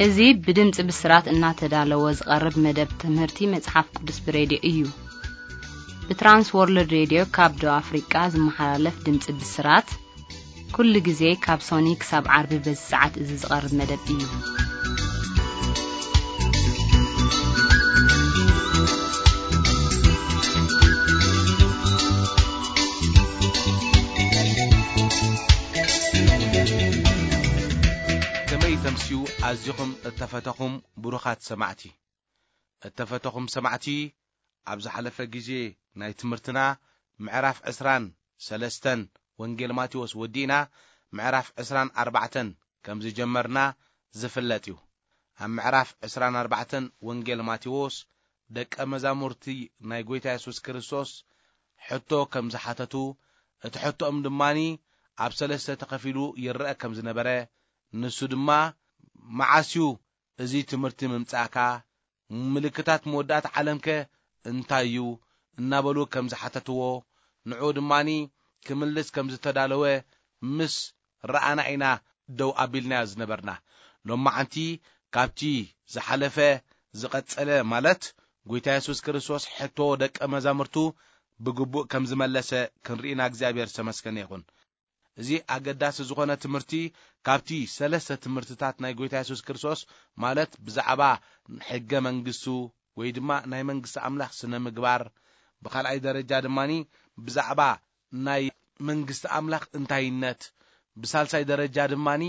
እዚ ብድምፂ ብስራት እናተዳለወ ዝቐርብ መደብ ትምህርቲ መጽሓፍ ቅዱስ ብሬድዮ እዩ። ብትራንስ ወርልድ ሬድዮ ካብ ደቡብ ኣፍሪቃ ዝመሓላለፍ ድምፂ ብስራት፣ ኩሉ ግዜ ካብ ሶኒ ክሳብ ዓርቢ በዚ ሰዓት እዚ ዝቐርብ መደብ እዩ። ከመይ ተምስዩ ኣዚኹም እተፈተኹም ብሩኻት ሰማዕቲ። እተፈተኹም ሰማዕቲ፣ ኣብ ዝሓለፈ ግዜ ናይ ትምህርትና ምዕራፍ ዕስራን ሰለስተን ወንጌል ማቴዎስ ወዲእና፣ ምዕራፍ ዕስራን ኣርባዕተን ከም ዝጀመርና ዝፍለጥ እዩ። ኣብ ምዕራፍ ዕስራን ኣርባዕተን ወንጌል ማቴዎስ ደቀ መዛሙርቲ ናይ ጐይታ የሱስ ክርስቶስ ሕቶ ከም ዝሓተቱ፣ እቲ ሕቶኦም ድማኒ ኣብ ሰለስተ ተኸፊሉ ይረአ ከም ዝነበረ፣ ንሱ ድማ፣ "መዓስ እዩ እዚ ትምህርቲ ምምጻእካ? ምልክታት መወዳእታ ዓለምከ እንታይ እዩ?" እናበሉ ከም ዝሓተትዎ፣ ንዕኡ ድማኒ ክምልስ ከም ዝተዳለወ ምስ ረኣና ኢና ደው ኣቢልናዮ ዝነበርና። ሎማዓንቲ ካብቲ ዝሓለፈ ዝቐጸለ፣ ማለት ጐይታ የሱስ ክርስቶስ ሕቶ ደቀ መዛሙርቱ ብግቡእ ከም ዝመለሰ ክንርኢና እግዚኣብሔር ዝተመስገነ ይኹን። እዚ ኣገዳሲ ዝኾነ ትምህርቲ ካብቲ ሰለስተ ትምህርትታት ናይ ጐይታ የሱስ ክርስቶስ፣ ማለት ብዛዕባ ሕገ መንግስቱ ወይ ድማ ናይ መንግስቲ ኣምላኽ ስነ ምግባር፣ ብኻልኣይ ደረጃ ድማኒ ብዛዕባ ናይ መንግስቲ ኣምላኽ እንታይነት፣ ብሳልሳይ ደረጃ ድማኒ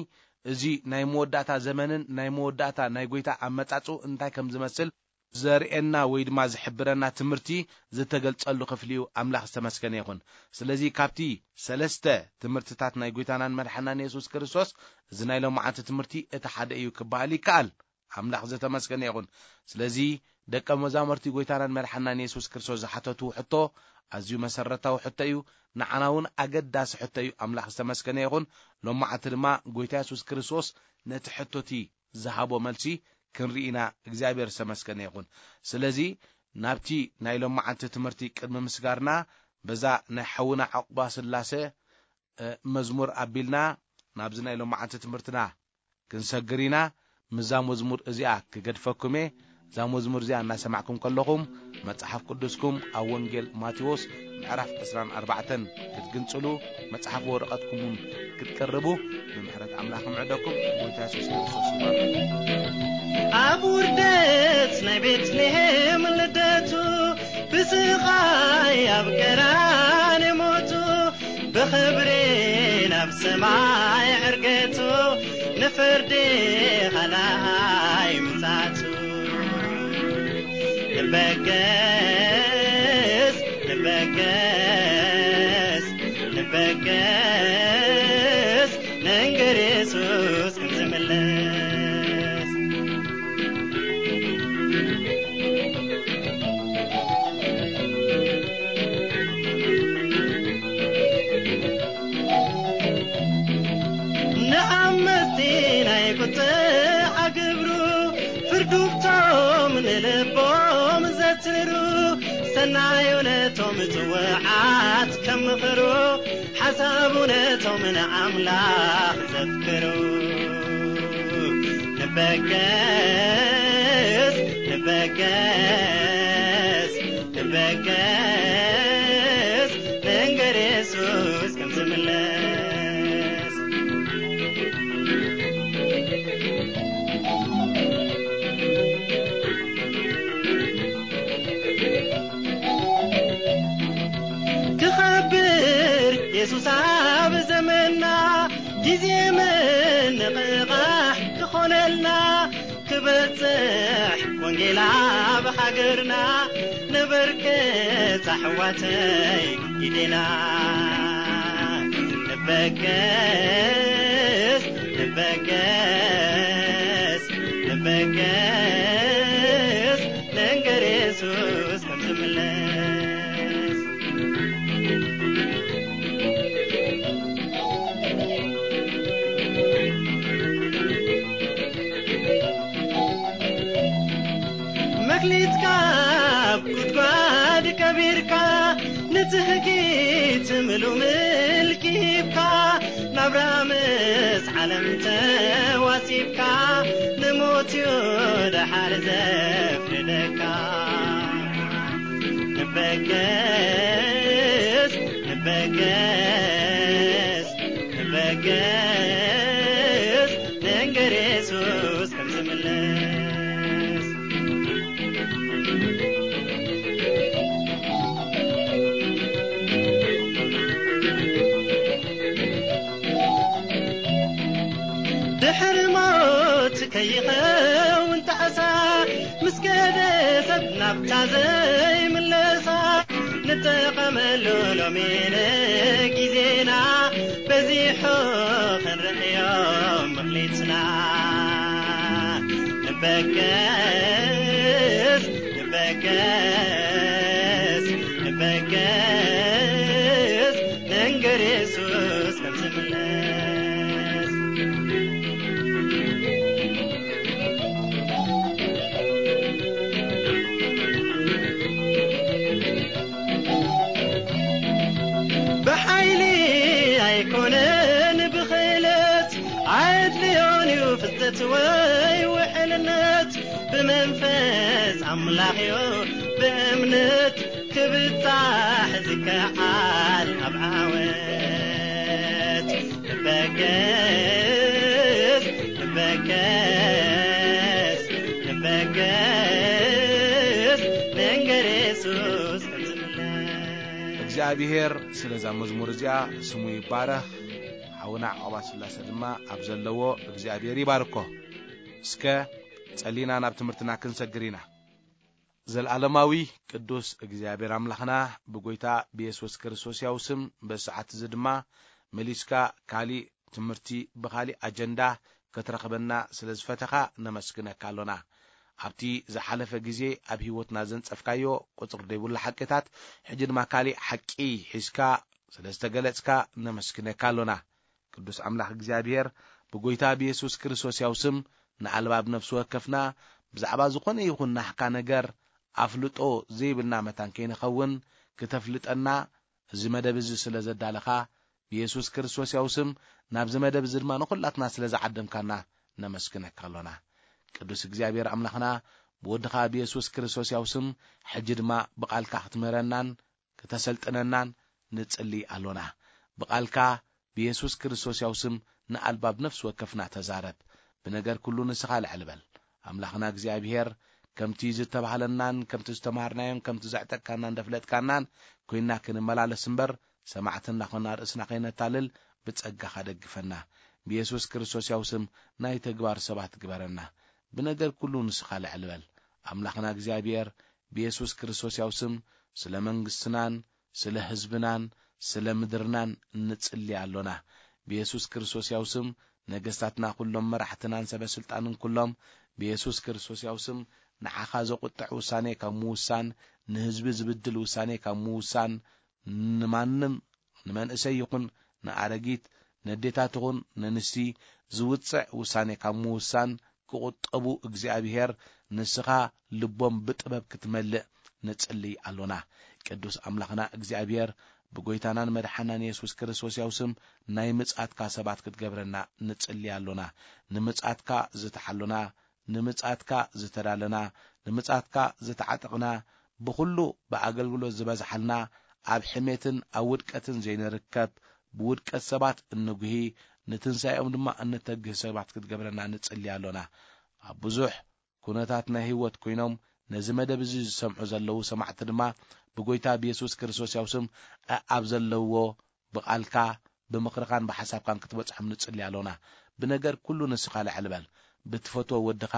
እዚ ናይ መወዳእታ ዘመንን ናይ መወዳእታ ናይ ጐይታ ኣመጻጽኡ እንታይ ከም ዝመስል ዘርእየና ወይ ድማ ዝሕብረና ትምህርቲ ዝተገልጸሉ ክፍሊ እዩ። ኣምላኽ ዝተመስገነ ይኹን። ስለዚ ካብቲ ሰለስተ ትምህርትታት ናይ ጐይታናን መድሓናን የሱስ ክርስቶስ፣ እዚ ናይ ሎማዓንቲ ትምህርቲ እቲ ሓደ እዩ ክበሃል ይከኣል። ኣምላኽ ዝተመስገነ ይኹን። ስለዚ ደቀ መዛሙርቲ ጐይታናን መድሓናን የሱስ ክርስቶስ ዝሓተትዎ ሕቶ ኣዝዩ መሰረታዊ ሕቶ እዩ። ንዓና እውን ኣገዳሲ ሕቶ እዩ። ኣምላኽ ዝተመስገነ ይኹን። ሎማዓንቲ ድማ ጐይታ የሱስ ክርስቶስ ነቲ ሕቶቲ ዝሃቦ መልሲ ክንርኢ ኢና። እግዚኣብሔር ዝተመስገነ ይኹን። ስለዚ ናብቲ ናይ ሎማዓንቲ ትምህርቲ ቅድሚ ምስጋርና፣ በዛ ናይ ሓውና ዕቑባ ስላሰ፣ እ፣ መዝሙር ኣቢልና ናብዚ ናይ ሎማዓንቲ ትምህርትና ክንሰግር ኢና። ምስዛ መዝሙር እዚኣ ክገድፈኩም እየ። እዛ መዝሙር እዚኣ እናሰማዕኩም ከለኹም፣ መጽሓፍ ቅዱስኩም ኣብ ወንጌል ማቴዎስ ምዕራፍ ዕስራን ኣርባዕተን ክትግንጽሉ፣ መጽሓፍ ወረቐትኩም እውን ክትቅርቡ ብምሕረት ኣምላኽ ምዕደኩም። ጎይታ የሱስ ክርስቶስ ይባርክ። ኣብ ውርደት ናይ ቤትልሔም ልደቱ፣ ብስቓይ ኣብ ቀራንዮ ሞቱ፣ ብኽብሪ ናብ ሰማይ ዕርገቱ፣ ንፍርዲ ኻልኣይ ምጽኣቱ። ንበገስ፣ ንበገስ፣ ንበገስ፣ ንንገር የሱስ ከም ዝምለስ። ንዓመጽቲ ናይ ቁጥዓ ግብሩ፣ ፍርዱ ብቶም ንልቦም ዘትሩ፣ ሰናዩ ነቶም ጽውዓት ከም ምኽሩ፣ ሓሳቡ ነቶም ንኣምላኽ ዘፍቅሩ። ንበገስ፣ ንበገስ፣ ንበገስ፣ ንንገር የሱስ ከም ዝምለስ። ክኸብር የሱስ ኣብ ዘመንና፣ ግዜ ምንቕቓሕ ክኾነልና፣ ክበጽሕ ወንጌል ኣብ ሃገርና፣ ነበርክት ኣሕዋተይ ኢዴና። ንበገስ፣ ንበገስ፣ ንበገስ፣ ንንገር የሱስ ከም ዝምለስ። መክሊትካ ኣብ ጉድጓድ ቀቢርካ፣ ንትህኪት ምሉ ምልኪ ሂብካ፣ ናብራ ምስ ዓለም ተዋሲብካ፣ ንሞት እዩ ደሓር ዘፍርደካ። ንበገስ፣ ንበገስ፣ ንበገስ፣ ንንገር የሱስ ከም ዝምለስ። ድሕሪ ሞት ከይኸውን ጣዕሳ፣ ምስ ከደ ሰብ ናብታ ዘይምለሳ። ንጠቐመሉ ሎሚ ንግዜና፣ በዚሑ ክንርእዮ ምኽሊትና። ንበገስ፣ ንበገስ፣ ንበገስ፣ ንንገር የሱስ ከም ዝምለስ። ብሓይሊ ኣይኮነን ብኽእለት፣ ኣየድልዮን እዩ ፍልጠት ወይ ውሕልነት። ብመንፈስ ኣምላኽ እዩ ብእምነት ክብጻሕ ዝከኣል ኣብ ዓወት። ንበገስ፣ ንበገስ፣ ንበገስ፣ ንንገር የሱስ ከም ዝምለስ። እግዚኣብሔር ስለዛ መዝሙር እዚኣ ስሙ ይባረኽ። ሓውና ዓቕባ ስላሰ ድማ ኣብ ዘለዎ እግዚኣብሔር ይባርኮ። እስከ ጸሊና ናብ ትምህርትና ክንሰግር ኢና። ዘልኣለማዊ ቅዱስ እግዚኣብሔር ኣምላኽና፣ ብጎይታ ብየሱስ ክርስቶስ ያው ስም በዚ ሰዓት እዚ ድማ መሊስካ ካሊእ ትምህርቲ ብኻሊእ ኣጀንዳ ክትረኽበና ስለ ዝፈተኻ ነመስግነካ ኣሎና። ኣብቲ ዝሓለፈ ግዜ ኣብ ህይወትና ዘንጸፍካዮ ቁጽሪ ዘይብሉ ሓቅታት፣ ሕጂ ድማ ካሊእ ሓቂ ሒዝካ ስለ ዝተገለጽካ ነመስግነካ ኣሎና። ቅዱስ ኣምላኽ እግዚኣብሔር፣ ብጎይታ ብየሱስ ክርስቶስ ያው ስም ንኣልባብ ነፍሲ ወከፍና ብዛዕባ ዝኾነ ይኹን ናህካ ነገር ኣፍልጦ ዘይብልና መታን ከይንኸውን ክተፍልጠና፣ እዚ መደብ እዚ ስለ ዘዳለኻ፣ ብየሱስ ክርስቶስ ያው ስም ናብዚ መደብ እዚ ድማ ንኹላትና ስለ ዝዓደምካና ነመስግነካ ኣሎና። ቅዱስ እግዚኣብሔር ኣምላኽና፣ ብወድኻ ብየሱስ ክርስቶስ ያው ስም ሕጂ ድማ ብቓልካ ክትምህረናን ክተሰልጥነናን ንጽሊ ኣሎና። ብቓልካ ብየሱስ ክርስቶስ ያው ስም ንኣልባብ ነፍሲ ወከፍና ተዛረብ። ብነገር ኩሉ ንስኻ ልዕል በል። ኣምላኽና እግዚኣብሔር፣ ከምቲ ዝተባህለናን ከምቲ ዝተማሃርናዮን ከምቲ ዘዕጠቅካናን ዘፍለጥካናን ኮይንና ክንመላለስ እምበር፣ ሰማዕቲ እናኾንና ርእስና ከይነታልል ብጸጋኻ ደግፈና። ብየሱስ ክርስቶስ ያው ስም ናይ ተግባር ሰባት ግበረና። ብነገር ኩሉ ንስኻ ልዕል በል። ኣምላኽና እግዚኣብሔር፣ ብየሱስ ክርስቶስ ያው ስም ስለ መንግስትናን ስለ ህዝብናን ስለ ምድርናን ንጽሊ ኣሎና። ብየሱስ ክርስቶስ ያው ስም ነገስታትና ኩሎም፣ መራሕትናን ሰበ ስልጣንን ኩሎም፣ ብየሱስ ክርስቶስ ያው ስም ንዓኻ ዘቁጥዕ ውሳኔ ካብ ምውሳን፣ ንህዝቢ ዝብድል ውሳኔ ካብ ምውሳን፣ ንማንም ንመንእሰይ ይኹን ንኣረጊት፣ ነዴታት ይኹን ነንስቲ ዝውጽዕ ውሳኔ ካብ ምውሳን ክቑጠቡ እግዚኣብሔር ንስኻ ልቦም ብጥበብ ክትመልእ ንጽልይ ኣሎና። ቅዱስ ኣምላኽና እግዚኣብሔር ብጎይታናን መድሓናን የሱስ ክርስቶስ ያው ስም ናይ ምጽኣትካ ሰባት ክትገብረና ንጽልይ ኣሎና። ንምጽኣትካ ዝተሓሎና፣ ንምጽኣትካ ዝተዳለና፣ ንምጽኣትካ ዝተዓጠቕና፣ ብኹሉ ብኣገልግሎት ዝበዝሓልና፣ ኣብ ሕሜትን ኣብ ውድቀትን ዘይንርከብ፣ ብውድቀት ሰባት እንጉሂ፣ ንትንሳኤኦም ድማ እንተግህ ሰባት ክትገብረና ንጽሊ ኣሎና። ኣብ ብዙሕ ኩነታት ናይ ህይወት ኮይኖም ነዚ መደብ እዚ ዝሰምዑ ዘለዉ ሰማዕቲ ድማ ብጎይታ ብየሱስ ክርስቶስ ያው ስም ኣብ ዘለውዎ ብቓልካ ብምኽርኻን ብሓሳብካን ክትበጽሖም ንጽሊ ኣሎና። ብነገር ኩሉ ንስኻ ልዕል በል። ብትፈትዎ ወድኻ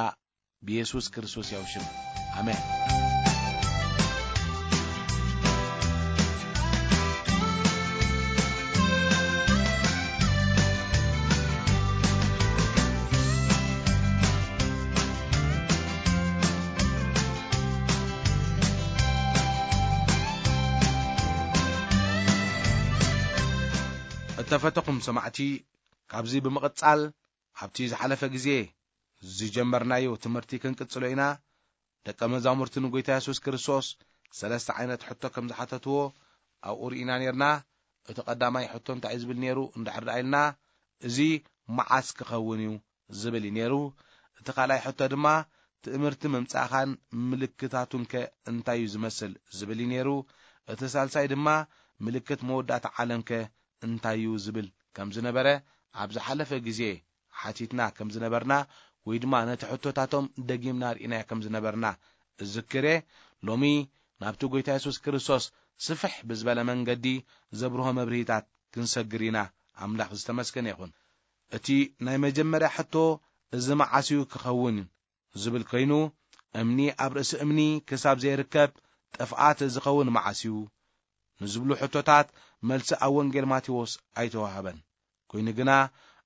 ብየሱስ ክርስቶስ ያው ሽም። ኣሜን። እተፈተኹም ሰማዕቲ፣ ካብዚ ብምቕጻል ኣብቲ ዝሓለፈ ግዜ ዝጀመርናዮ ትምህርቲ ክንቅጽሎ ኢና። ደቀ መዛሙርቲ ንጎይታ የሱስ ክርስቶስ ሰለስተ ዓይነት ሕቶ ከም ዝሓተትዎ ኣብኡ ርኢና ኔርና። እቲ ቀዳማይ ሕቶ እንታይ እዩ ዝብል ኔሩ? እንድሕር ደኣ ኢልና፣ "እዚ መዓስ ክኸውን እዩ?" ዝብል እዩ ኔሩ። እቲ ካልኣይ ሕቶ ድማ ትእምርቲ ምምጻእኻን ምልክታቱንከ እንታይ እዩ ዝመስል ዝብል እዩ ነይሩ። እቲ ሳልሳይ ድማ ምልክት መወዳእታ ዓለምከ እንታይ እዩ ዝብል ከም ዝነበረ ኣብ ዝሓለፈ ግዜ ሓቲትና ከም ዝነበርና ወይ ድማ ነቲ ሕቶታቶም ደጊምና ርኢናዮ ከም ዝነበርና እዝክር እየ። ሎሚ ናብቲ ጎይታ የሱስ ክርስቶስ ስፍሕ ብዝበለ መንገዲ ዘብርሆ መብርሂታት ክንሰግር ኢና። ኣምላኽ ዝተመስገነ ይኹን። እቲ ናይ መጀመርያ ሕቶ፣ እዚ መዓስ እዩ ክኸውን ዝብል ኮይኑ፣ እምኒ ኣብ ርእሲ እምኒ ክሳብ ዘይርከብ ጥፍኣት ዝኸውን መዓስ እዩ ንዝብሉ ሕቶታት መልሲ ኣብ ወንጌል ማቴዎስ ኣይተዋህበን። ኮይኑ ግና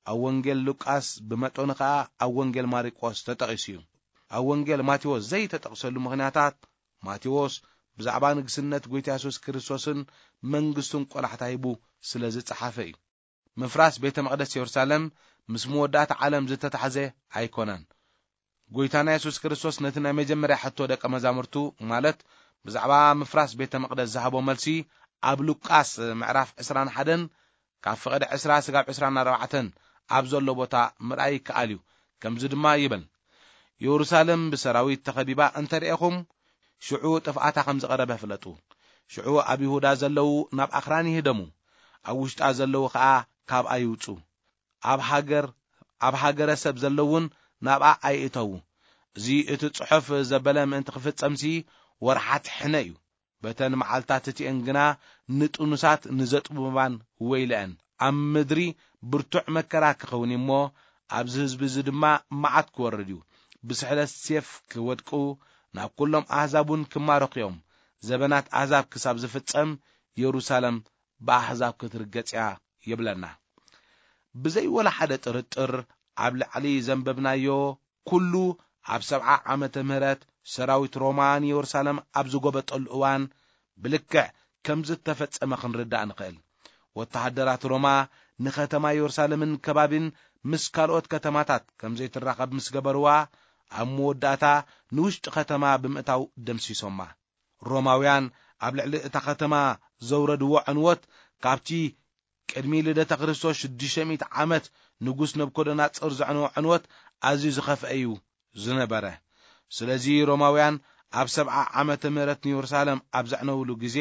ኣብ ወንጌል ሉቃስ ብመጠኑ ኸኣ ኣብ ወንጌል ማርቆስ ተጠቒሱ እዩ። ኣብ ወንጌል ማቴዎስ ዘይተጠቕሰሉ ምኽንያታት፣ ማቴዎስ ብዛዕባ ንግስነት ጎይታ የሱስ ክርስቶስን መንግስቱን ቆላሕታ ሂቡ ስለ ዝጸሓፈ እዩ። ምፍራስ ቤተ መቕደስ የሩሳሌም ምስ መወዳእታ ዓለም ዝተታሕዘ ኣይኮነን። ጎይታና የሱስ ክርስቶስ ነቲ ናይ መጀመርያ ሕቶ ደቀ መዛሙርቱ፣ ማለት ብዛዕባ ምፍራስ ቤተ መቕደስ ዝሃቦ መልሲ፣ ኣብ ሉቃስ ምዕራፍ ዕስራን ሓደን ካብ ፍቕዲ ዕስራ ስጋብ ዕስራን ኣርባዕተን ኣብ ዘሎ ቦታ ምርኣይ ይከኣል እዩ። ከምዚ ድማ ይብል፣ የሩሳሌም ብሰራዊት ተኸቢባ እንተ ርኤኹም፣ ሽዑ ጥፍኣታ ከም ዝቐረበ ፍለጡ። ሽዑ ኣብ ይሁዳ ዘለዉ ናብ ኣኽራን ይህደሙ፣ ኣብ ውሽጣ ዘለዉ ኸኣ ካብኣ ይውጹ። ኣብ ሃገር፣ ኣብ ሃገረ ሰብ ዘለዉን ናብኣ ኣይእተዉ። እዚ እቲ ጽሑፍ ዘበለ ምእንቲ ክፍጸምሲ ወርሓት ሕነ እዩ። በተን መዓልታት እቲኤን ግና ንጥኑሳት ንዘጥቡባን ወይለአን። ኣብ ምድሪ ብርቱዕ መከራ ክኸውን እዩ እሞ፣ ኣብዚ ህዝቢ እዚ ድማ መዓት ክወርድ እዩ። ብስሕለት ሴፍ ክወድቁ፣ ናብ ኩሎም ኣህዛብ እውን ክማረኹ እዮም። ዘበናት ኣህዛብ ክሳብ ዝፍጸም፣ የሩሳሌም ብኣህዛብ ክትርገጽ እያ ይብለና። ብዘይ ወላ ሓደ ጥርጥር፣ ኣብ ላዕሊ ዘንበብናዮ ኩሉ ኣብ ሰብዓ ዓመተ ምህረት ሰራዊት ሮማ ንየሩሳሌም ኣብ ዝጎበጠሉ እዋን ብልክዕ ከም ዝተፈጸመ ክንርዳእ ንኽእል። ወተሃደራት ሮማ ንኸተማ የሩሳሌምን ከባቢን ምስ ካልኦት ከተማታት ከም ዘይትራኸብ ምስ ገበርዋ፣ ኣብ መወዳእታ ንውሽጢ ከተማ ብምእታው ደምሲሶማ። ሮማውያን ኣብ ልዕሊ እታ ከተማ ዘውረድዎ ዕንወት፣ ካብቲ ቅድሚ ልደተ ክርስቶስ ሽዱሽተ ሚእቲ ዓመት ንጉስ ነብኮደናጽር ዘዕነዎ ዕንወት ኣዝዩ ዝኸፍአ እዩ ዝነበረ። ስለዚ ሮማውያን ኣብ ሰብዓ ዓመተ ምህረት ንየሩሳሌም ኣብ ዘዕነውሉ ግዜ፣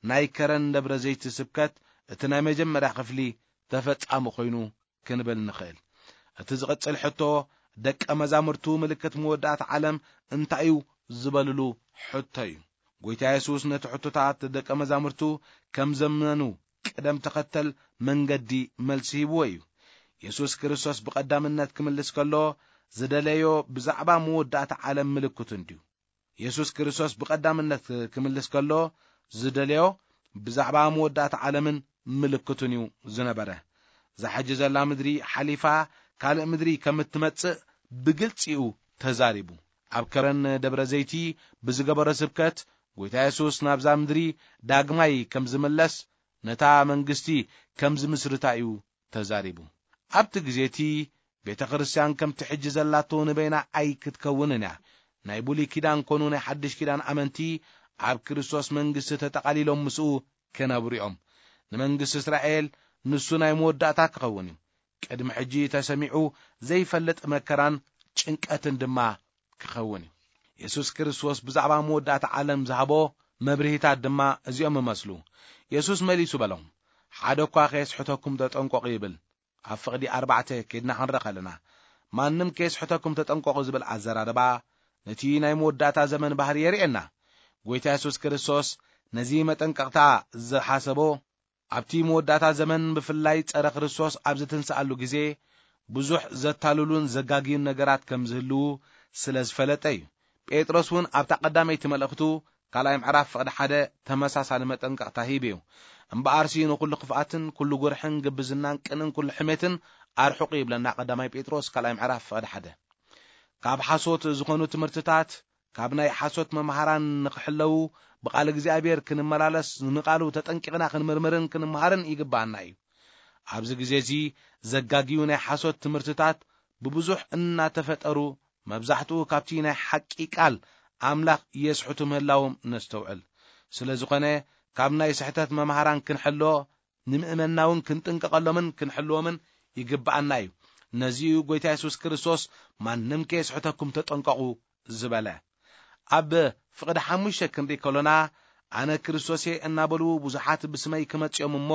ናይ ከረን ደብረ ዘይቲ ስብከት እቲ ናይ መጀመርያ ክፍሊ ተፈጻሚ ኮይኑ ክንብል ንኽእል። እቲ ዝቕጽል ሕቶ፣ ደቀ መዛሙርቱ ምልክት መወዳእታ ዓለም እንታይ እዩ ዝበልሉ ሕቶ እዩ። ጎይታ የሱስ ነቲ ሕቶታት ደቀ መዛሙርቱ ከም ዘመኑ ቅደም ተኸተል መንገዲ መልሲ ሂብዎ እዩ። የሱስ ክርስቶስ ብቐዳምነት ክምልስ ከሎ ዝደለዮ ብዛዕባ መወዳእታ ዓለም ምልክቱ እንድዩ። የሱስ ክርስቶስ ብቐዳምነት ክምልስ ከሎ ዝደለዮ ብዛዕባ መወዳእታ ዓለምን ምልክቱን እዩ ዝነበረ። እዛ ሕጂ ዘላ ምድሪ ሓሊፋ ካልእ ምድሪ ከም እትመጽእ ብግልጺ እዩ ተዛሪቡ። ኣብ ከረን ደብረ ዘይቲ ብዝገበሮ ስብከት፣ ጎይታ የሱስ ናብዛ ምድሪ ዳግማይ ከም ዝምለስ፣ ነታ መንግስቲ ከም ዝምስርታ እዩ ተዛሪቡ። ኣብቲ ግዜ እቲ ቤተ ክርስቲያን ከምቲ ሕጂ ዘላቶ ንበይና ኣይክትከውንን እያ። ናይ ብሉይ ኪዳን ኮኑ ናይ ሓድሽ ኪዳን ኣመንቲ ኣብ ክርስቶስ መንግስቲ ተጠቓሊሎም ምስኡ ክነብሩ እዮም። ንመንግስቲ እስራኤል ንሱ ናይ መወዳእታ ክኸውን እዩ። ቅድሚ ሕጂ ተሰሚዑ ዘይፈልጥ መከራን ጭንቀትን ድማ ክኸውን እዩ። የሱስ ክርስቶስ ብዛዕባ መወዳእታ ዓለም ዝሃቦ መብርሂታት ድማ እዚኦም እመስሉ። የሱስ መሊሱ በሎም፣ "ሓደ እኳ ከየስሕተኩም ተጠንቀቑ" ይብል። ኣብ ፍቕዲ ኣርባዕተ ኬድና ክንርኢ ከለና፣ "ማንም ከየስሕተኩም ተጠንቀቑ" ዝብል ኣዘራርባ፣ ነቲ ናይ መወዳእታ ዘመን ባህሪ የርእየና። ጎይታ የሱስ ክርስቶስ ነዚ መጠንቀቕታ ዝሓሰቦ፣ ኣብቲ መወዳእታ ዘመን ብፍላይ ጸረ ክርስቶስ ኣብ ዝትንስኣሉ ግዜ፣ ብዙሕ ዘታልሉን ዘጋግዩን ነገራት ከም ዝህልዉ ስለ ዝፈለጠ እዩ። ጴጥሮስ እውን ኣብታ ቀዳመይቲ መልእኽቱ ካልኣይ ምዕራፍ ፍቕዲ ሓደ ተመሳሳሊ መጠንቀቕታ ሂቡ እዩ። "እምበኣርሲ ንኹሉ ክፍኣትን ኩሉ ጉርሕን ግብዝናን ቅንእን ኩሉ ሕሜትን ኣርሕቑ" ይብለና ቀዳማይ ጴጥሮስ ካልኣይ ምዕራፍ ፍቕዲ ሓደ። ካብ ሓሶት ዝኾኑ ትምህርትታት፣ ካብ ናይ ሓሶት መምሃራን ንኽሕለዉ፣ ብቓል እግዚኣብሔር ክንመላለስ፣ ንቓሉ ተጠንቂቕና ክንምርምርን ክንምሃርን ይግብኣና እዩ። ኣብዚ ግዜ እዚ ዘጋግዩ ናይ ሓሶት ትምህርትታት ብብዙሕ እናተፈጠሩ፣ መብዛሕትኡ ካብቲ ናይ ሓቂ ቃል ኣምላኽ የስሕቱ ምህላዎም ነስተውዕል። ስለ ዝኾነ፣ ካብ ናይ ስሕተት መምሃራን ክንሕሎ፣ ንምእመንና እውን ክንጥንቀቐሎምን ክንሕልዎምን ይግብኣና እዩ። ነዚዩ ጎይታ የሱስ ክርስቶስ ማንም ከየስሕተኩም ተጠንቀቑ ዝበለ። ኣብ ፍቕዲ ሓሙሽተ ክንርኢ ከሎና፣ ኣነ ክርስቶስ እየ እናበሉ ብዙሓት ብስመይ ክመጽኦም እሞ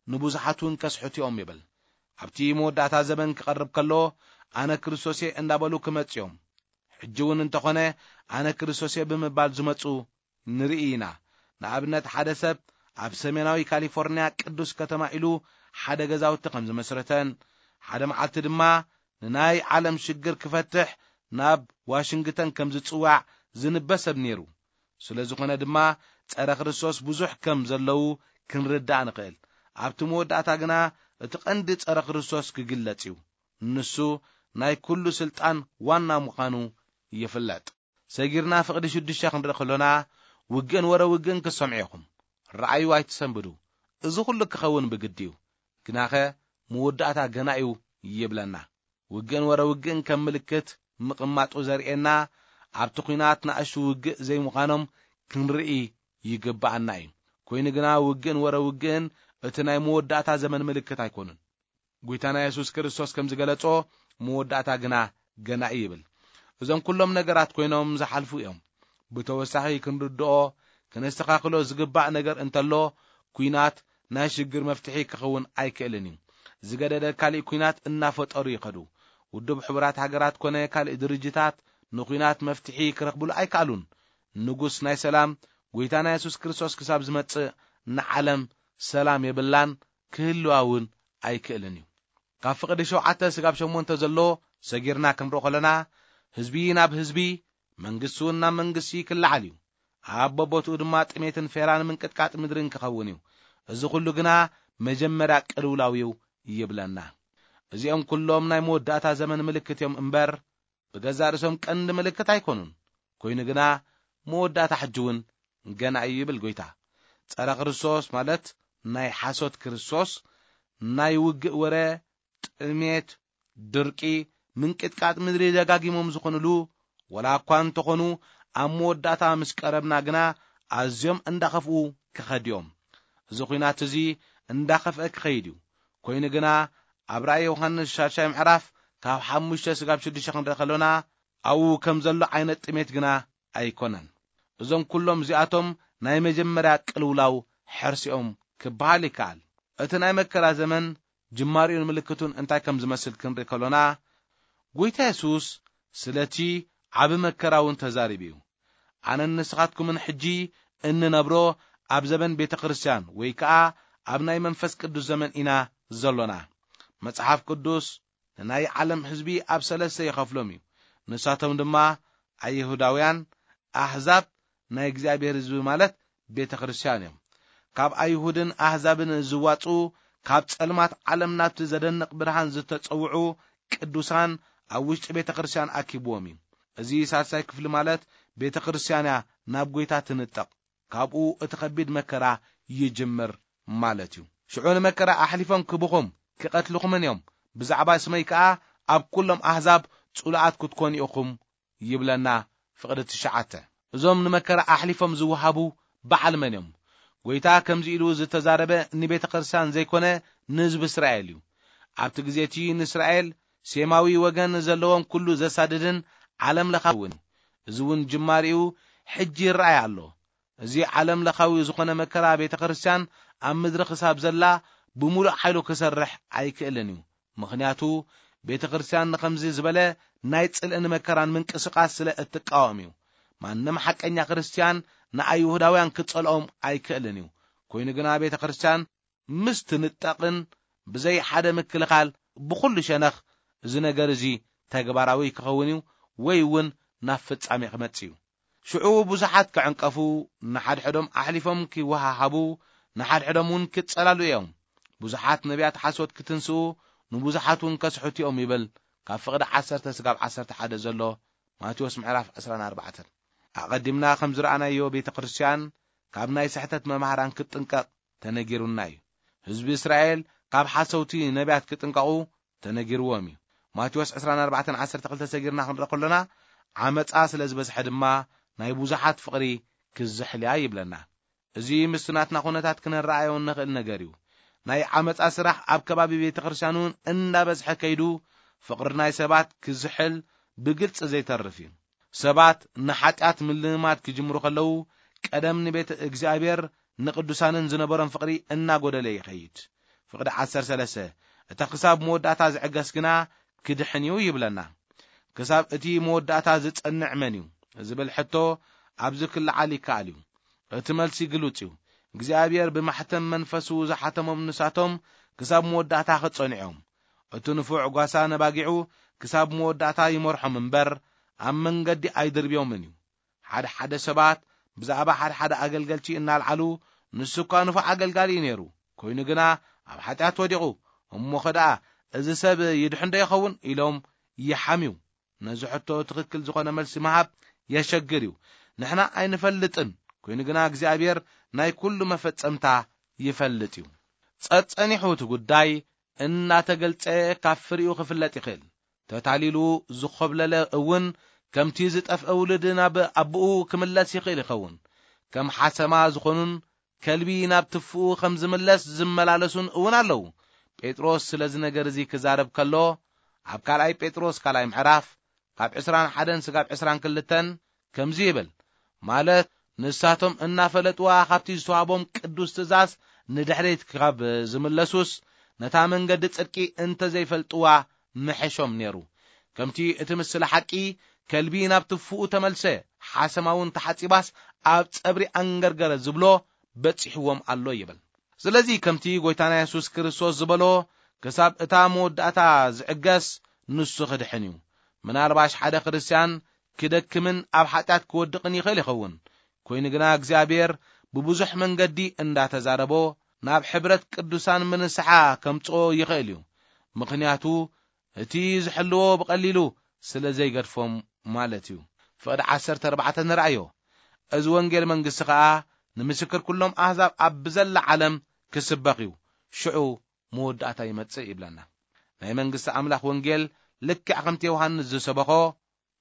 ንብዙሓት እውን ከስሕቱ እዮም ይብል። ኣብቲ መወዳእታ ዘመን ክቐርብ ከሎ፣ ኣነ ክርስቶስ እየ እናበሉ ክመጽኦም፣ ሕጂ እውን እንተኾነ ኣነ ክርስቶስ እየ ብምባል ዝመጹ ንርኢ ኢና። ንኣብነት ሓደ ሰብ ኣብ ሰሜናዊ ካሊፎርኒያ ቅዱስ ከተማ ኢሉ ሓደ ገዛውቲ ከም ዝመስረተን፣ ሓደ መዓልቲ ድማ ንናይ ዓለም ሽግር ክፈትሕ ናብ ዋሽንግተን ከም ዝጽዋዕ ዝንበ ሰብ ነይሩ። ስለ ዝኾነ ድማ ጸረ ክርስቶስ ብዙሕ ከም ዘለዉ ክንርዳእ ንኽእል። ኣብቲ መወዳእታ ግና እቲ ቀንዲ ጸረ ክርስቶስ ክግለጽ እዩ። ንሱ ናይ ኩሉ ስልጣን ዋና ምዃኑ ይፍለጥ። ሰጊርና ፍቕዲ ሽዱሽተ ክንርኢ ከሎና፣ ውግእን ወረ ውግእን ክትሰምዑ ኢኹም። ረኣዩ ኣይትሰንብዱ። እዚ ኩሉ ክኸውን ብግዲ እዩ። ግናኸ መወዳእታ ገና እዩ ይብለና። ውግእን ወረ ውግእን ከም ምልክት ምቕማጡ ዘርእየና፣ ኣብቲ ኲናት ንኣሽቱ ውግእ ዘይምዃኖም ክንርኢ ይግብኣና እዩ። ኮይኑ ግና ውግእን ወረ ውግእን እቲ ናይ መወዳእታ ዘመን ምልክት ኣይኮኑን። ጎይታና የሱስ ክርስቶስ ከም ዝገለጾ፣ መወዳእታ ግና ገና እዩ ይብል። እዞም ኩሎም ነገራት ኮይኖም ዝሓልፉ እዮም። ብተወሳኺ ክንርድኦ፣ ክነስተኻኽሎ ዝግባእ ነገር እንተሎ፣ ኲናት ናይ ሽግር መፍትሒ ክኸውን ኣይክእልን እዩ። ዝገደደ ካሊእ ኲናት እናፈጠሩ ይኸዱ። ውድብ ሕቡራት ሃገራት ኮነ ካልእ ድርጅታት ንኲናት መፍትሒ ክረኽብሉ ኣይከኣሉን። ንጉስ ናይ ሰላም፣ ጎይታና የሱስ ክርስቶስ ክሳብ ዝመጽእ ንዓለም ሰላም የብላን፣ ክህልዋ እውን ኣይክእልን እዩ። ካብ ፍቕዲ ሸውዓተ ስጋብ ሸሞንተ ዘሎ ሰጊርና ክንርኢ ከለና፣ ህዝቢ ናብ ህዝቢ፣ መንግስቲ እውን ናብ መንግስቲ ክለዓል እዩ። ኣብ በቦትኡ ድማ ጥሜትን ፌራን ምንቅጥቃጥ ምድርን ክኸውን እዩ። እዚ ኩሉ ግና መጀመርያ ቅልውላው እዩ ይብለና። እዚኦም ኩሎም ናይ መወዳእታ ዘመን ምልክት እዮም እምበር፣ ብገዛእ ርእሶም ቀንዲ ምልክት ኣይኮኑን። ኮይኑ ግና መወዳእታ ሕጂ እውን ገና እዩ ይብል ጎይታ። ጸረ ክርስቶስ ማለት ናይ ሓሶት ክርስቶስ፣ ናይ ውግእ ወረ፣ ጥሜት፣ ድርቂ፣ ምንቅጥቃጥ ምድሪ ደጋጊሞም ዝኾኑሉ፣ ወላ እኳ እንተኾኑ፣ ኣብ መወዳእታ ምስ ቀረብና ግና ኣዝዮም እንዳኸፍኡ ክኸድዮም። እዚ ኲናት እዚ እንዳኸፍአ ክኸይድ እዩ። ኮይኑ ግና ኣብ ራእይ ዮሃንስ ሻድሻይ ምዕራፍ ካብ ሓሙሽተ ስጋብ ሽዱሽተ ክንርኢ ከሎና፣ ኣብኡ ከም ዘሎ ዓይነት ጥሜት ግና ኣይኮነን። እዞም ኩሎም እዚኣቶም ናይ መጀመርያ ቅልውላው ሕርሲኦም ክበሃል ይከኣል። እቲ ናይ መከራ ዘመን ጅማሪኡን ምልክቱን እንታይ ከም ዝመስል ክንርኢ ከሎና፣ ጎይታ የሱስ ስለቲ ዓቢ መከራ እውን ተዛሪቡ እዩ። ኣነን ንስኻትኩምን ሕጂ እንነብሮ ኣብ ዘመን ቤተ ክርስቲያን ወይ ከኣ ኣብ ናይ መንፈስ ቅዱስ ዘመን ኢና ዘሎና። መጽሓፍ ቅዱስ ንናይ ዓለም ህዝቢ ኣብ ሰለስተ ይኸፍሎም እዩ። ንሳቶም ድማ ኣይሁዳውያን፣ ኣህዛብ፣ ናይ እግዚኣብሔር ህዝቢ ማለት ቤተ ክርስቲያን እዮም። ካብ ኣይሁድን ኣህዛብን ዝዋጹ፣ ካብ ጸልማት ዓለም ናብቲ ዘደንቕ ብርሃን ዝተጸውዑ ቅዱሳን ኣብ ውሽጢ ቤተ ክርስቲያን ኣኪብዎም እዩ። እዚ ሳልሳይ ክፍሊ ማለት ቤተ ክርስቲያን እያ ናብ ጎይታ ትንጠቕ። ካብኡ እቲ ከቢድ መከራ ይጅምር ማለት እዩ። ሽዑ ንመከራ ኣሕሊፎም ክብኹም ክቐትልኹምን እዮም። ብዛዕባ ስመይ ከኣ ኣብ ኩሎም ኣህዛብ ጽሉኣት ክትኮኑ ኢኹም ይብለና ፍቕዲ ትሽዓተ። እዞም ንመከራ ኣሕሊፎም ዝወሃቡ በዓል መን እዮም? ጎይታ ከምዚ ኢሉ ዝተዛረበ ንቤተ ክርስቲያን ዘይኮነ ንህዝቢ እስራኤል እዩ። ኣብቲ ግዜ እቲ ንእስራኤል ሴማዊ ወገን ዘለዎም ኩሉ ዘሳድድን ዓለም ለኻዊ እውን። እዚ እውን ጅማሪኡ ሕጂ ይረኣይ ኣሎ። እዚ ዓለም ለኻዊ ዝኾነ መከራ ቤተ ክርስቲያን ኣብ ምድሪ ክሳብ ዘላ ብምሉእ ሓይሉ ክሰርሕ ኣይክእልን እዩ። ምኽንያቱ ቤተ ክርስቲያን ንኸምዚ ዝበለ ናይ ጽልእን መከራን ምንቅስቓስ ስለ እትቃወም እዩ። ማንም ሓቀኛ ክርስቲያን ንኣይሁዳውያን ክጸልኦም ኣይክእልን እዩ። ኮይኑ ግና ቤተ ክርስቲያን ምስ ትንጠቕን ብዘይ ሓደ ምክልኻል ብኹሉ ሸነኽ እዚ ነገር እዚ ተግባራዊ ክኸውን እዩ ወይ እውን ናብ ፍጻሜ ክመጽእ እዩ። ሽዑ ብዙሓት ክዕንቀፉ፣ ንሓድሕዶም ኣሕሊፎም ክወሃሃቡ፣ ንሓድሕዶም እውን ክጸላሉ እዮም። ብዙሓት ነቢያት ሓሶት ክትንስኡ፣ ንብዙሓት እውን ከስሕቱ እዮም ይብል። ካብ ፍቕዲ ዓሰርተ ስጋብ ዓሰርተ ሓደ ዘሎ ማቴዎስ ምዕራፍ ዕስራን ኣርባዕተን። ኣቐዲምና ከም ዝረኣናዮ ቤተ ክርስቲያን ካብ ናይ ስሕተት መማህራን ክትጥንቀቕ ተነጊሩና እዩ። ህዝቢ እስራኤል ካብ ሓሰውቲ ነቢያት ክጥንቀቑ ተነጊርዎም እዩ። ማቴዎስ ዕስራን ኣርባዕተን ዓሰርተ ክልተ ሰጊርና ክንርኢ ከሎና፣ ዓመጻ ስለ ዝበዝሐ ድማ ናይ ብዙሓት ፍቕሪ ክዝሕልያ ይብለና። እዚ ምስቲ ናትና ኩነታት ክነረኣዮ እንኽእል ነገር እዩ። ናይ ዓመጻ ስራሕ ኣብ ከባቢ ቤተ ክርስቲያን እውን እንዳበዝሐ ከይዱ፣ ፍቕሪ ናይ ሰባት ክዝሕል ብግልጺ ዘይተርፍ እዩ። ሰባት ንሓጢኣት ምልማድ ክጅምሩ ከለዉ፣ ቀደም ንቤተ እግዚኣብሔር ንቅዱሳንን ዝነበሮም ፍቕሪ እናጎደለ ይኸይድ። ፍቕዲ ዓሰርተ ሰለስተ፣ "እቲ ክሳብ መወዳእታ ዝዕገስ ግና ክድሕን እዩ" ይብለና። ክሳብ እቲ መወዳእታ ዝጸንዕ መን እዩ ዝብል ሕቶ ኣብዚ ክለዓል ይከኣል እዩ። እቲ መልሲ ግሉጽ እዩ። እግዚኣብሔር ብማሕተም መንፈሱ ዝሓተሞም ንሳቶም ክሳብ መወዳእታ ክጸንዑ እዮም። እቲ ንፉዕ ጓሳ ነባጊዑ ክሳብ መወዳእታ ይመርሖም እምበር፣ ኣብ መንገዲ ኣይድርብዮምን እዩ። ሓደ ሓደ ሰባት ብዛዕባ ሓደ ሓደ ኣገልገልቲ እናልዓሉ፣ "ንሱ እኳ ንፉዕ ኣገልጋሊ እዩ ነይሩ፣ ኮይኑ ግና ኣብ ሓጢኣት ወዲቑ፣ እሞ ኸ ደኣ እዚ ሰብ ይድሕን ዶ ይኸውን?" ኢሎም ይሓምዩ። ነዚ ሕቶ ትኽክል ዝኾነ መልሲ ምሃብ የሸግር እዩ። ንሕና ኣይንፈልጥን፣ ኮይኑ ግና እግዚኣብሔር ናይ ኩሉ መፈጸምታ ይፈልጥ እዩ። ጸጸኒሑ እቲ ጉዳይ እናተገልጸ ካብ ፍሪኡ ክፍለጥ ይኽእል። ተታሊሉ ዝኾብለለ እውን ከምቲ ዝጠፍአ ውሉድ ናብ ኣቦኡ ክምለስ ይኽእል ይኸውን። ከም ሓሰማ ዝኾኑን ከልቢ ናብ ትፍኡ ከም ዝምለስ ዝመላለሱን እውን ኣለዉ። ጴጥሮስ ስለዚ ነገር እዚ ክዛረብ ከሎ፣ ኣብ ካልኣይ ጴጥሮስ ካልኣይ ምዕራፍ ካብ ዕስራን ሓደን ስጋብ ዕስራን ክልተን ከምዚ ይብል፣ ማለት ንሳቶም እናፈለጥዋ ካብቲ ዝተዋህቦም ቅዱስ ትእዛዝ ንድሕሪት ካብ ዝምለሱስ፣ ነታ መንገዲ ጽድቂ እንተ ዘይፈልጥዋ ምሐሾም ነይሩ። ከምቲ እቲ ምስለ ሓቂ፣ "ከልቢ ናብ ትፍኡ ተመልሰ፣ ሓሰማ እውን ተሓጺባስ ኣብ ጸብሪ ኣንገርገረ" ዝብሎ በጺሕዎም ኣሎ ይብል። ስለዚ ከምቲ ጎይታና የሱስ ክርስቶስ ዝበሎ፣ ክሳብ እታ መወዳእታ ዝዕገስ ንሱ ክድሕን እዩ። ምናልባሽ ሓደ ክርስትያን ክደክምን ኣብ ሓጢኣት ክወድቕን ይኽእል ይኸውን። ኮይኑ ግና እግዚኣብሔር ብብዙሕ መንገዲ እንዳተዛረቦ ናብ ሕብረት ቅዱሳን ምንስሓ ከምጽኦ ይኽእል እዩ። ምኽንያቱ እቲ ዝሕልዎ ብቐሊሉ ስለ ዘይገድፎም ማለት እዩ። ፍቕዲ ዓሰርተ ኣርባዕተ ንርኣዮ። "እዚ ወንጌል መንግስቲ ኸኣ ንምስክር ኩሎም ኣህዛብ ኣብ ብዘላ ዓለም ክስበኽ እዩ፣ ሽዑ መወዳእታ ይመጽእ" ይብለና። ናይ መንግስቲ ኣምላኽ ወንጌል ልክዕ ከምቲ ዮሃንስ ዝሰበኾ፣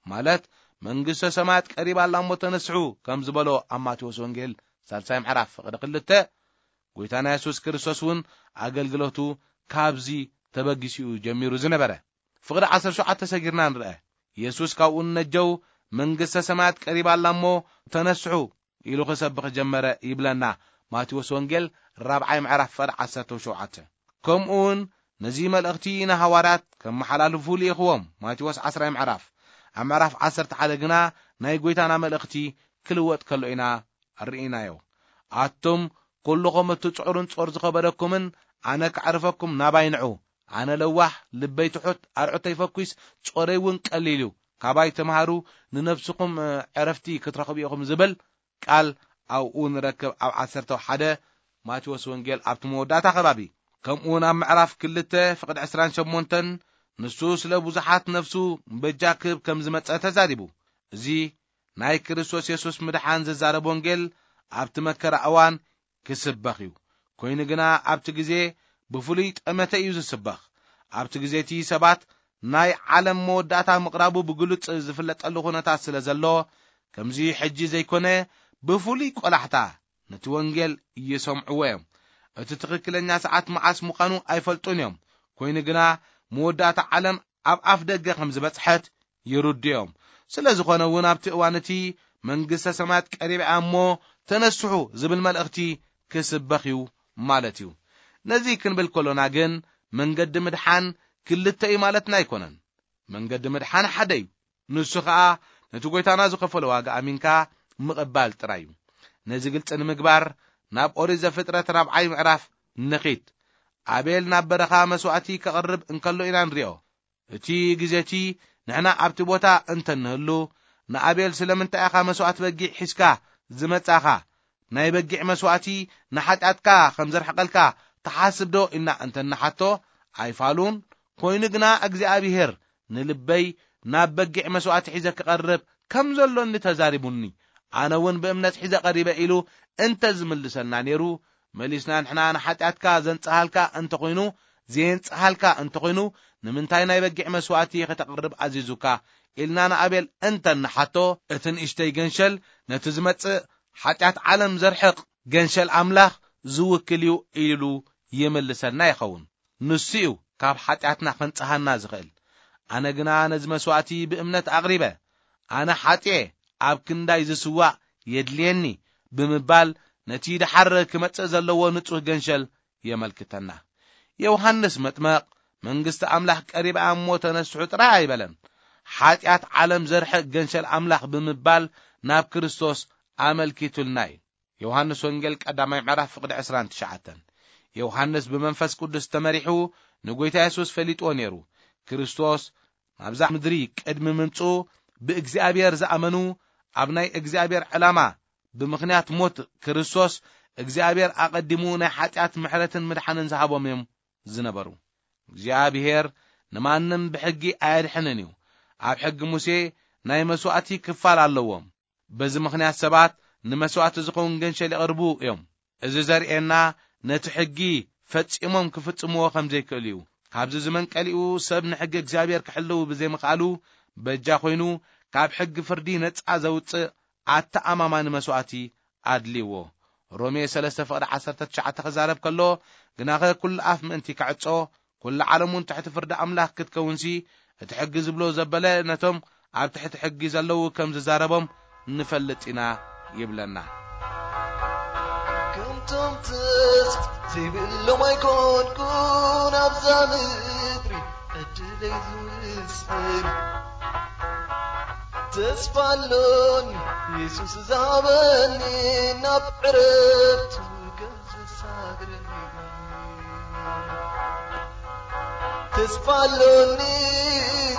ማለት "መንግስተ ሰማያት ቀሪባ ኣላ እሞ ተነስሑ" ከም ዝበሎ ኣብ ማቴዎስ ወንጌል ሳልሳይ ምዕራፍ ፍቕዲ ክልተ፣ ጎይታና የሱስ ክርስቶስ እውን ኣገልግሎቱ ካብዚ ተበጊሱ እዩ ጀሚሩ ዝነበረ። ፍቕዲ ዓሰርተ ሸውዓተ ሰጊርና ንርአ። የሱስ ካብኡ ንነጀው "መንግስተ ሰማያት ቀሪባ ኣላ እሞ ተነስሑ" ኢሉ ክሰብኽ ጀመረ ይብለና ማቴዎስ ወንጌል ራብዓይ ምዕራፍ ፍቕዲ ዓሰርተ ሸውዓተ። ከምኡ እውን ነዚ መልእኽቲ ንሃዋርያት ከመሓላልፉ ልኢኽዎም፣ ማቴዎስ ዓስራይ ምዕራፍ። ኣብ ምዕራፍ ዓሰርተ ሓደ ግና ናይ ጎይታና መልእኽቲ ክልወጥ ከሎ ኢና ርኢናዮ። "ኣቱም ኩልኹም እትጽዕሩን ጾር ዝኸበደኩምን፣ ኣነ ከዕርፈኩም ናባይ ንዑ። ኣነ ለዋህ፣ ልበይ ትሑት፣ ኣርዑተይ ፈኲስ፣ ጾረይ እውን ቀሊል እዩ። ካባይ ተምሃሩ፣ ንነፍስኹም፣ እ፣ ዕረፍቲ ክትረኽቡ ኢኹም" ዝብል ቃል ኣብኡ ንረክብ፣ ኣብ ዓሰርተ ሓደ ማቴዎስ ወንጌል ኣብቲ መወዳእታ ከባቢ። ከምኡውን ኣብ ምዕራፍ ክልተ ፍቕዲ ዕስራን ሸሞንተን ንሱ ስለ ብዙሓት ነፍሱ በጃ ክህብ ከም ዝመጸ ተዛሪቡ። እዚ ናይ ክርስቶስ የሱስ ምድሓን ዝዛረብ ወንጌል ኣብቲ መከራ እዋን ክስበኽ እዩ። ኮይኑ ግና ኣብቲ ግዜ ብፍሉይ ጠመተ እዩ ዝስበኽ። ኣብቲ ግዜ እቲ ሰባት ናይ ዓለም መወዳእታ ምቕራቡ ብግሉጽ ዝፍለጠሉ ኩነታት ስለ ዘሎ፣ ከምዚ ሕጂ ዘይኮነ ብፍሉይ ቆላሕታ ነቲ ወንጌል ይሰምዕዎ እዮም። እቲ ትኽክለኛ ሰዓት መዓስ ምዃኑ ኣይፈልጡን እዮም። ኮይኑ ግና መወዳእታ ዓለም ኣብ ኣፍ ደገ ከም ዝበጽሐት ይርድዮም። ስለ ዝኾነ እውን ኣብቲ እዋን እቲ "መንግስተ ሰማያት ቀሪባ እያ እሞ ተነስሑ" ዝብል መልእኽቲ ክስበኽ እዩ ማለት እዩ። ነዚ ክንብል ከሎና ግን መንገዲ ምድሓን ክልተ እዩ ማለትና ኣይኮነን። መንገዲ ምድሓን ሓደ እዩ። ንሱ ኸኣ ነቲ ጎይታና ዝኸፈሎ ዋጋ ኣሚንካ ምቕባል ጥራይ እዩ። ነዚ ግልጺ ንምግባር ናብ ኦሪት ዘፍጥረት ራብዓይ ምዕራፍ ንኺድ። ኣቤል ናብ በረኻ መስዋእቲ ከቕርብ እንከሎ ኢና ንሪኦ። እቲ ግዜ እቲ ንሕና ኣብቲ ቦታ እንተ ንህሉ፣ ንኣቤል ስለምንታይ ኢኻ መስዋእቲ በጊዕ ሒዝካ ዝመጻኻ? ናይ በጊዕ መስዋእቲ ንሓጢኣትካ ከም ዘርሕቐልካ ትሓስብ ዶ? ኢልና እንተ ንሓቶ፣ ኣይፋሉን። ኮይኑ ግና እግዚኣብሄር ንልበይ ናብ በጊዕ መስዋእቲ ሒዘ ክቐርብ ከም ዘሎኒ ተዛሪቡኒ፣ ኣነ እውን ብእምነት ሒዘ ቀሪበ ኢሉ እንተ ዝምልሰልና ነይሩ፣ መሊስና ንሕና ንሓጢኣትካ ዘንጽሃልካ እንተኾይኑ፣ ዘየንጽሃልካ እንተኾይኑ፣ ንምንታይ ናይ በጊዕ መስዋእቲ ከተቕርብ ኣዚዙካ? ኢልና ንኣቤል እንተ ንሓቶ፣ እቲ ንእሽተይ ገንሸል ነቲ ዝመጽእ ሓጢኣት ዓለም ዘርሕቕ ገንሸል ኣምላኽ ዝውክል እዩ ኢሉ ይምልሰልና ይኸውን። ንሱ እዩ ካብ ሓጢኣትና ከንጽሃና ዝኽእል። ኣነ ግና ነዚ መስዋእቲ ብእምነት ኣቕሪበ። ኣነ ሓጥየ፣ ኣብ ክንዳይ ዝስዋእ የድልየኒ ብምባል ነቲ ደሓር ክመጽእ ዘለዎ ንጹህ ገንሸል የመልክተና። ዮሃንስ መጥመቕ መንግስቲ ኣምላኽ ቀሪባ እሞ ተነስሑ ጥራይ ኣይበለን። ሓጢኣት ዓለም ዘርሕቕ ገንሸል ኣምላኽ ብምባል ናብ ክርስቶስ ኣመልኪቱልና እዩ። ዮሃንስ ወንጌል ቀዳማይ ምዕራፍ ፍቕዲ ዕስራን ትሽዓተን። ዮሃንስ ብመንፈስ ቅዱስ ተመሪሑ ንጎይታ የሱስ ፈሊጥዎ ነይሩ። ክርስቶስ ናብዛ ምድሪ ቅድሚ ምምጽኡ ብእግዚኣብሔር ዝኣመኑ ኣብ ናይ እግዚኣብሔር ዕላማ ብምኽንያት ሞት ክርስቶስ እግዚኣብሔር ኣቐዲሙ ናይ ሓጢኣት ምሕረትን ምድሓንን ዝሃቦም እዮም ዝነበሩ። እግዚኣብሔር ንማንም ብሕጊ ኣየድሕንን እዩ። ኣብ ሕጊ ሙሴ ናይ መስዋእቲ ክፋል ኣለዎም። በዚ ምኽንያት ሰባት ንመስዋእቲ ዝኸውን ገንሸል የቕርቡ እዮም። እዚ ዘርእየና ነቲ ሕጊ ፈጺሞም ክፍጽምዎ ከም ዘይክእሉ እዩ። ካብዚ ዝመንቀሊኡ ሰብ ንሕጊ እግዚኣብሔር ክሕልው ብዘይምኽኣሉ በጃ ኮይኑ ካብ ሕጊ ፍርዲ ነጻ ዘውጽእ ኣተኣማማኒ መስዋእቲ ኣድልዎ። ሮሜ ሰለስተ ፍቕዲ ዓሰርተ ትሽዓተ ክዛረብ ከሎ፣ ግናኸ ኩሉ ኣፍ ምእንቲ ክዕጾ፣ ኩሉ ዓለም እውን ትሕቲ ፍርዲ ኣምላኽ ክትከውንሲ፣ እቲ ሕጊ ዝብሎ ዘበለ ነቶም ኣብ ትሕቲ ሕጊ ዘለዉ ከም ዝዛረቦም ንፈልጥ ኢና ይብለና። ከምቶም ተስፋ ዘይብሎም ኣይኮንኩን ኣብዛ ምድሪ ዕድለይ ዝውስን። ተስፋ ኣሎኒ የሱስ ዝሃበኒ ናብ ዕረፍቱ ከም ዘሳግረኒ። ተስፋ ኣሎኒ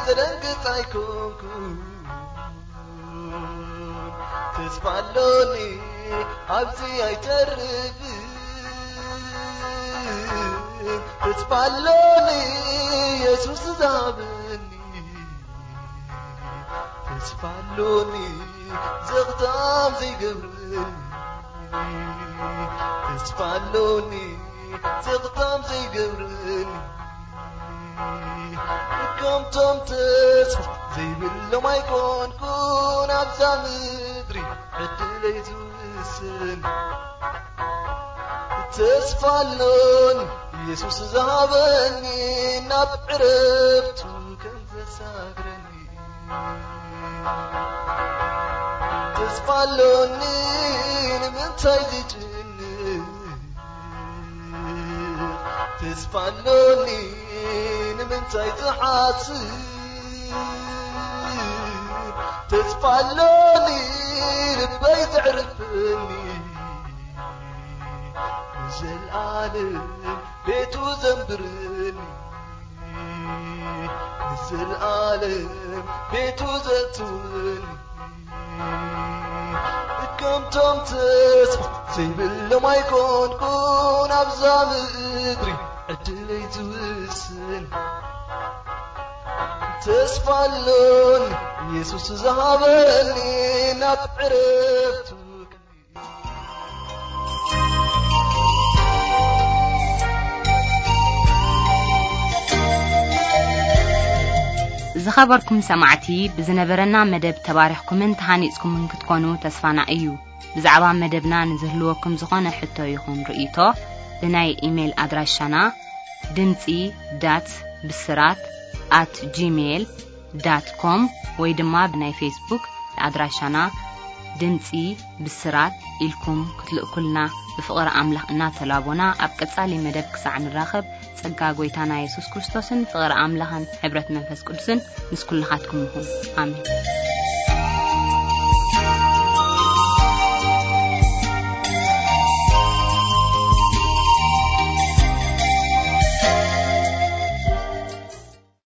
ተደንግጽ ኣይኮንኩን። ተስፋ ኣሎኒ ኣብዚ ኣይተርፍን። ተስፋ ኣሎኒ የሱስ ዝሃበኒ። ተስፋ ኣሎኒ ዘኽታም ዘይገብረኒ። ተስፋ ኣሎኒ ዘኽታም ዘይገብረኒ። ከምቶም ተስፋ ዘይብሎም ኣይኮንኩን ኣብዛ ምድሪ ዕድለይ ዝውስን። ተስፋ ኣሎኒ የሱስ ዝሃበኒ ናብ ዕረፍቱ ከም ዘሳግረኒ። ተስፋ ኣሎኒ ንምንታይ ዝጭንቕ? ተስፋ ኣሎኒ ንምንታይ ዝሓስብ? ተስፋ ኣሎኒ ልበይ ዘዕርፈኒ፣ ንዘለኣለም ቤቱ ዘንብረኒ፣ ንዘለኣለም ቤቱ ዘእትወኒ። ከምቶም ተስፋ ዘይብሎም ኣይኮንኩን ኣብዛ ምድሪ ዕድለይ ዝውስን። ተስፋ ኣሎኒ የሱስ ዝሃበኒ ናብ ዕረፍቱ። ዝኸበርኩም ሰማዕቲ፣ ብዝነበረና መደብ ተባሪኽኩምን ተሃኒጽኩምን ክትኮኑ ተስፋና እዩ። ብዛዕባ መደብና ንዝህልወኩም ዝኾነ ሕቶ ይኹን ርእይቶ፣ ብናይ ኢሜይል ኣድራሻና ድምጺ ዳት ብስራት ኣት ጂሜይል ዳት ኮም ወይ ድማ ብናይ ፌስቡክ ኣድራሻና ድምጺ ብስራት ኢልኩም ክትልእኩልና ብፍቕሪ ኣምላኽ እናተላቦና፣ ኣብ ቀጻሊ መደብ ክሳዕ ንራኸብ፣ ጸጋ ጐይታና የሱስ ክርስቶስን ፍቕሪ ኣምላኽን ሕብረት መንፈስ ቅዱስን ምስ ኩልኻትኩም ይኹን። ኣሜን።